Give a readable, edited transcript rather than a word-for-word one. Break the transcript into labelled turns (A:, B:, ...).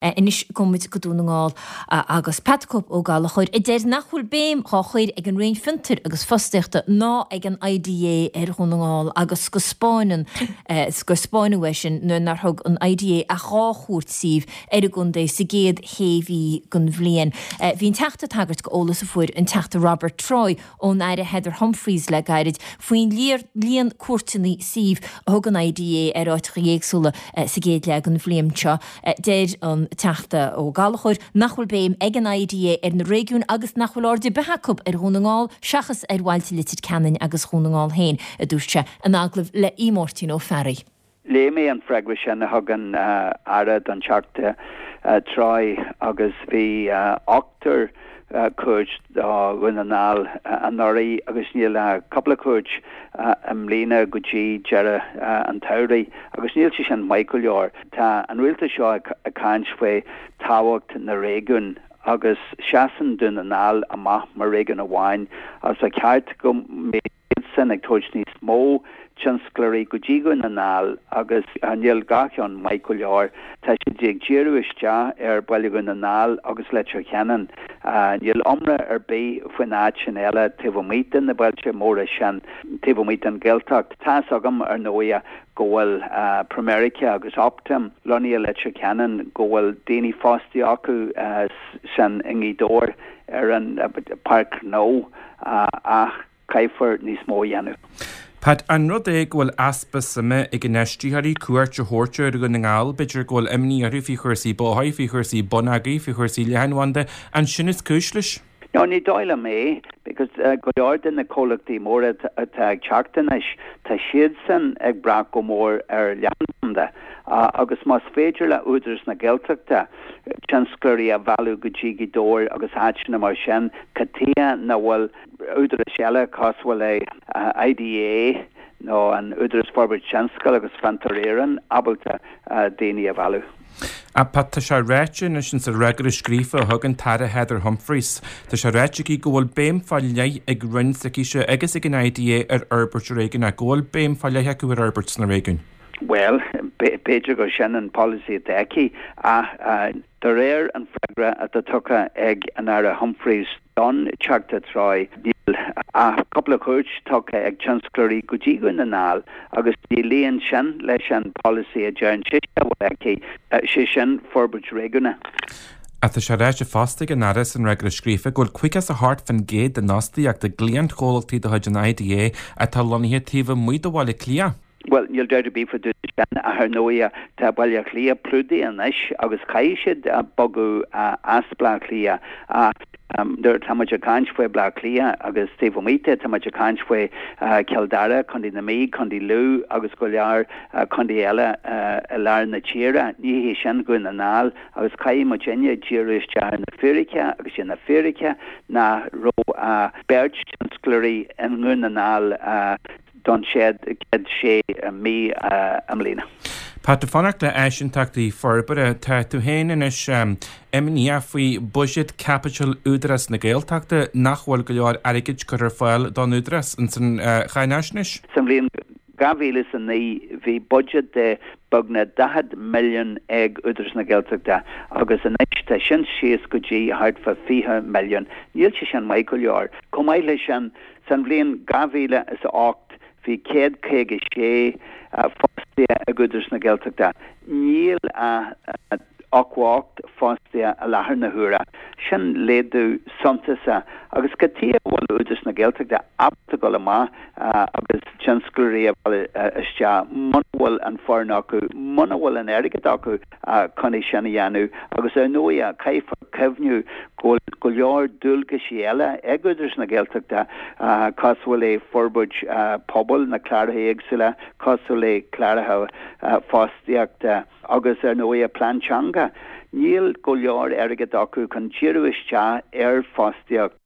A: Anois gabhfaidh muid go Dún na nGall agus Pat the Cope Ó Gallchóir a deir nach bhfuil béim dhá chur ag an Roinn Fiontair agus Fostaíochta ná ag an IDA ar Dhún na nGall agus go spáineann gur spáineadh é sin nuair nár thug an IDA ach 2 chuairt suímh ar an gcontae sa gcéad shé mhí den bhliain. Bhí an Teachta ag tagairt go eolas a fuair an Teachta Robert Troy ón Aire Heather Humphreys le gairid faoin líon cuairteanna suímh a thug an IDA ar áiteacha éagsúla sa gcéad leath den bhliain seo. Deir an Teachta Ó Gallchóir nach bhfuil béim ag an IDA ar na réigiúin agus nach bhfuil aird ar bith acu ar Dhún na nGall seachas ar bhailte Leitir Ceanainn agus Dhún na nGall féin, a dúirt sé in agallamh le Aodh Máirtín Ó Fearraigh.
B: Léigh mé an freagra sin a thug an Aire don Teachta Troy agus bhí ochtar cuairt do Dhún na nGall anuraidh agus níl ach cúpla cuairt i mbliana go dtí deireadh an tsamhraidh agus níl sé sin maith go leor. Tá an rialtas seo ag caint faoi tábhacht na réigiún agus seasann Dún na nGall amach mar réigiún amháin agus ba cheart go mbeadh siadsan ag tabhairt níos mó tionsclóirí go dtí Dhún na nGall agus níl gach ceann maith go leor. Tá siad ag díriú isteach ar Bhaile Dhún na nGall agus Leitir Ceanainn. Níl iomrá ar bith faoin áit sin eile taobh amuigh de na bailte móra sin, taobh amuigh den Ghaeltacht. Tá's agam ar ndóigh go bhfuil Pramerica agus Optum lonnaithe i Leitir Ceanainn, go bhfuil daoine fostaithe acu san i nGaoth Dobhair ar an bPáirc Ghnó ach caithfear níos mó a dhéanamh.
C: Pat, an rud é go bhfuil easpa suime ag infheistitheoirí cuairt a thabhairt ar Dhún na nGall, b'fhéidir go bhfuil imní orthu faoi chúrsaí bóthair, faoi chúrsaí bonneagair, faoi chúrsaí leathanbhanda, an sin is cúis leis?
B: No, ní dóigh liom é, because go leor de na comhlachtaí móra atá ag teacht anois, tá siadsan ag brath go mór ar leathanbhanda agus más féidir le Údarás na Gaeltachta tionsclóirí a mhealladh go dtí Gaoth Dobhair agus áiteanna mar sin, cad tuighe nach bhfuil údarais eile cosúil le IDA nó an Údarás Forbairt Tionscail agus Fiontar Éireann ábalta daoine a mhealladh.
C: Pat, tá sé ráite anois insa fhreagra scríofa a thug an tAire Heather Humphreys, tá sé ráite aici go bhfuil béim fá leith ag Roinn s'aicise agus ag an IDA ar fhorbairt réigiúnach, go bhfuil béim fá leith acu ar fhorbairt sna réigiúin.
B: Bhuel, b'fhéidir gur sin an polasaí atá aici ach de réir an freagra atá tugtha ag an Aire Humphreys, Don Teachta Troy, níl ach cúpla cuairt tugtha ag tionsclóirí go dtí Dhún na nGall agus ní luíonn sin leis an polasaí a deireann sise a bhfuil aici, sé sin forbairt réigiúnach.
C: Ach tá sé ráite fosta ag an Aire san fhreagra scríofa go bhfuil 58% den fhostaíocht i gcliantchomhlachtaí de chuid an IDA atá lonnaithe taobh amuigh de Bhaile Átha Cliath.
B: Bhuel, níl dabht ar bith fá dtaobh de sin, ach ar ndóighe, tá Baile Átha Cliath plódaithe anois agus caithfidh siad bogadh as Bleá Cliath. Ach nuair atá muid ag caint faoi Bleá Cliath agus taobh amuigh de, tá muid ag caint faoi Cill Dara, Contae na Mí, Contae Lú agus go leor contae eile i lár na tíre. Ní hé sin Dhún na nGall agus caithfidh muidinne díriú isteach ar na fírice agus í na fírice nach raibh ach beirt tionsclóirí i nDún na nGall don chéad sé mí i mbliana.
C: Pat, ag fanacht le áiseantachtaí forbartha, tá tú féin anois imníoch faoi bhuiséad caipitil Údarás na Gaeltachta, nach bhfuil go leor airgid curtha ar fáil don Údarás ins an cháinaisnéis.
B: Sa bhliain 2009 bhí buiséad de beagnach 40 milliún ag Údarás na Gaeltachta agus anois tá sin síos go dtí thart fá 20 milliún. Níl sé sin maith go leor. Chomh maith leis sin, San bhliain 2008 bhí 156 fostaithe ag Údarás na Gaeltachta. Níl ach 88 fostaithe i láthair na huaire. Sin laghdú suntasach. Agus cad tuighe a bhfuil Údarás na Gaeltachta ábalta dul amach agus tionsclóirí a mhealladh isteach muna bhfuil an foireann acu, muna bhfuil an airgead acu chun é sin a dhéanamh. Agus ar ndóighe, caithfear cuimhniú go bhfuil go leor dualgaisí eile ag Údarás na Gaeltachta, cosúil le forbairt pobail, na cláracha éagsúla, cosúil le cláracha fostaíochta agus ar ndóighe plean teanga. Níl go leor airgead acu chun díriú isteach ar fostaíocht.